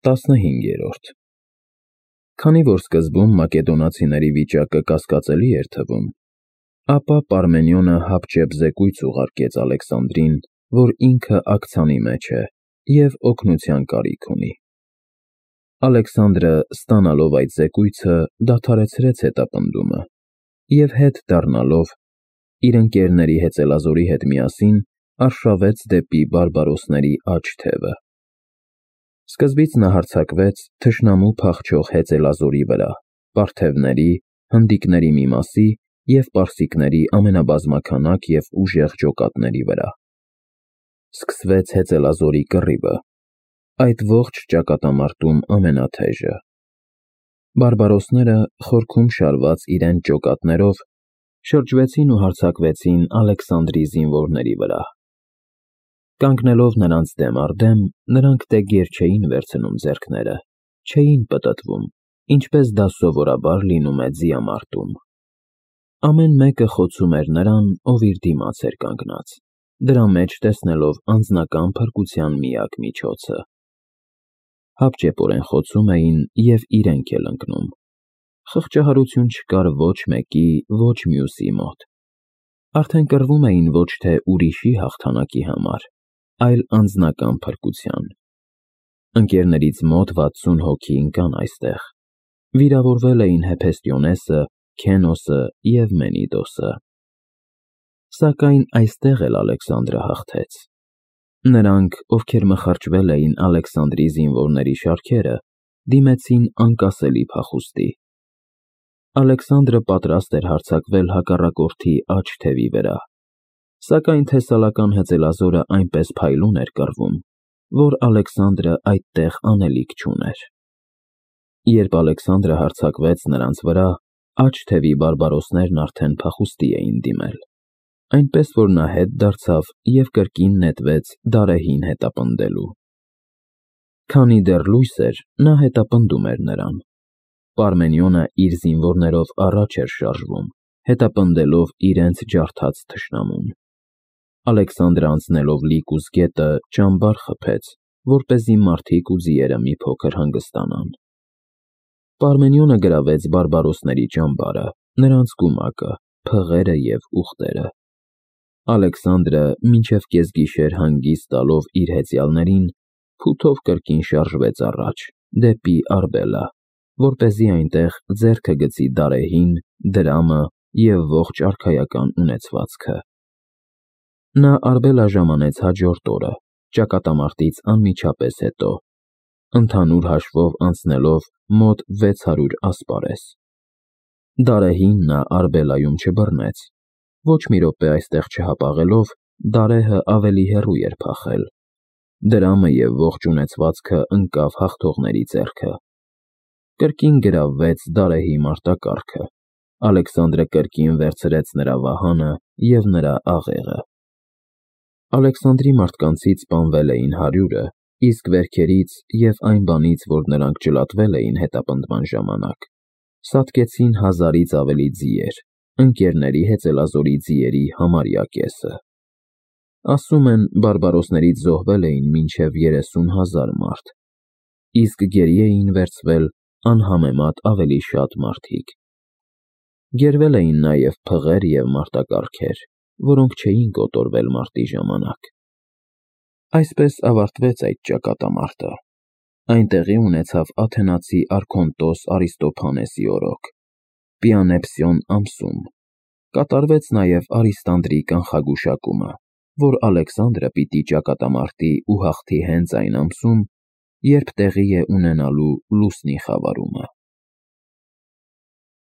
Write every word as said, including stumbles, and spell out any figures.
տասնհինգերորդ Քանի որ սկզբում մակեդոնացիների վիճակը կասկածելի էր թվում, ապա Պարմենիոնը հապճեպ զեկույց ուղարկեց Ալեքսանդրին, որ ինքը աքցանի մեջ է և օգնության կարիք ունի։ Ալեքսանդրը, ստանալով այդ զեկույցը, դադարեցրեց հետապնդումը և հետ դառնալով, իր ընկերների հեծելազորի հետ միասին արշավեց դեպի բարբարոսների աջ թևը։ Սկզբից նա հարձակվեց թշնամու փախչող հեծելազորի վրա, պարթևների, հնդիկների մի մասի և պարսիկների ամենաբազմաքանակ և ուժեղ ջոկատների վրա։ Սկսվեց հեծելազորի կռիվը, այդ ողջ ճակատամարտում ամենաթեժը։ Բարբարոսները, խորքում շարված իրենց ջոկատներով, շրջվեցին ու հարձակվեցին Ալեքսանդրի զինվորների վրա։ Կանգնելով նրանց դեմ առ դեմ, նրանք դե գեր չէին վերցնում ձեռքները, չէին պտտվում, ինչպես դա սովորաբար լինում է ձիամարտում։ Ամեն մեկը խոցում էր նրան, ով իր դիմաց էր կանգնած, դրա մեջ տեսնելով անձնական փրկության միակ միջոցը։ Հապճեպորեն խոցում էին և իրենք էլ ընկնում։ Խղճահարություն չկար ոչ մեկի, ոչ մյուսի մոտ։ Արդեն կռվում էին ոչ թե ուրիշի հաղթանակի համար, այլ անձնական փրկության։ Ընկերներից մոտ վաթսուն հոգի ընկան այստեղ։ Վիրավորվել էին Հեփեստիոնեսը, Քենոսը և Մենիդոսը։ Սակայն այստեղ էլ Ալեքսանդրը հաղթեց։ Նրանք, ովքեր մխրճվել էին Ալեքսանդրի զինվորների շարքերը, դիմեցին անկասելի փախուստի։ Ալեքսանդրը պատրաստ էր հարձակվել հակառակորդի աջ թևի վրա, սակայն թեսալական հեծելազորը այնպես փայլուն էր կռվում, որ Ալեքսանդրը այդտեղ անելիք չուներ։ Երբ Ալեքսանդրը հարձակվեց նրանց վրա, աջ թևի բարբարոսներն արդեն փախուստի էին դիմել, այնպես որ նա հետ դարձավ և կրկին նետվեց Դարեհին հետապնդելու։ Քանի դեռ լույս էր, նա հետապնդում էր նրան։ Պարմենիոնը իր զինվորներով առաջ էր շարժվում, հետապնդելով իրենց ջարդած թշնամուն։ Ալեքսանդրը անցնելով Լիկուս գետը ճամբար խփեց, որպեսզի մարդիկ ու ձիերը մի փոքր հանգստանան։ Պարմենիոնը գրավեց բարբարոսների ճամբարը, նրանց գումակը, փղերը և ուղտերը։ Ալեքսանդրը, մինչև կեսգիշեր հանգիստ տալով իր հեծյալներին, փութով կրկին շարժվեց առաջ, դեպի Արբելա, որպեսզի այնտեղ ձեռքը գցի Դարեհին, դրամը և ողջ արքայական ունեցվածքը։ Նա Արբելա ժամանեց հաջորդ օրը, ճակատամարտից անմիջապես հետո, ընդհանուր հաշվով անցնելով մոտ վեց հարյուր ասպարես։ Դարեհին նա Արբելայում չբռնեց։ Ոչ մի րոպե այստեղ չհապաղելով, Դարեհը ավելի հեռու էր փախել։ Դրամը և ողջ ունեցվածքը ընկավ հաղթողների ձեռքը։ Կրկին գրավվեց Դարեհի մարտակառքը։ Ալեքսանդրը կրկին վերցրեց նրա վահանը և նրա աղեղը։ Ալեքսանդրի մարդկանցից սպանվել էին հարյուրը, իսկ վերքերից և այն բանից, որ նրանք ջլատվել էին հետապնդման ժամանակ, սատկեցին հազարից ավելի ձիեր, ընկերների հեծելազորի ձիերի համարյա կեսը։ Ասում են, բարբարոսներից զոհվել էին մինչև երեսուն հազար մարդ, իսկ գերի էին վերցվել անհամեմատ ավելի շատ մարդիկ։ Գերվել էին նաև փղեր և մարտակառքեր, որոնք չէին կոտորվել մարտի ժամանակ։ Այսպես ավարտվեց այդ ճակատամարտը։ Այն տեղի ունեցավ աթենացի արքոնտոս Արիստոփանեսի օրոք, Պիանեպսիոն ամսում։ Կատարվեց նաև Արիստանդրի կանխագուշակումը, որ Ալեքսանդրը պիտի ճակատամարտի ու հաղթի հենց այն ամսում, երբ տեղի է ունենալու լուսնի խավարումը։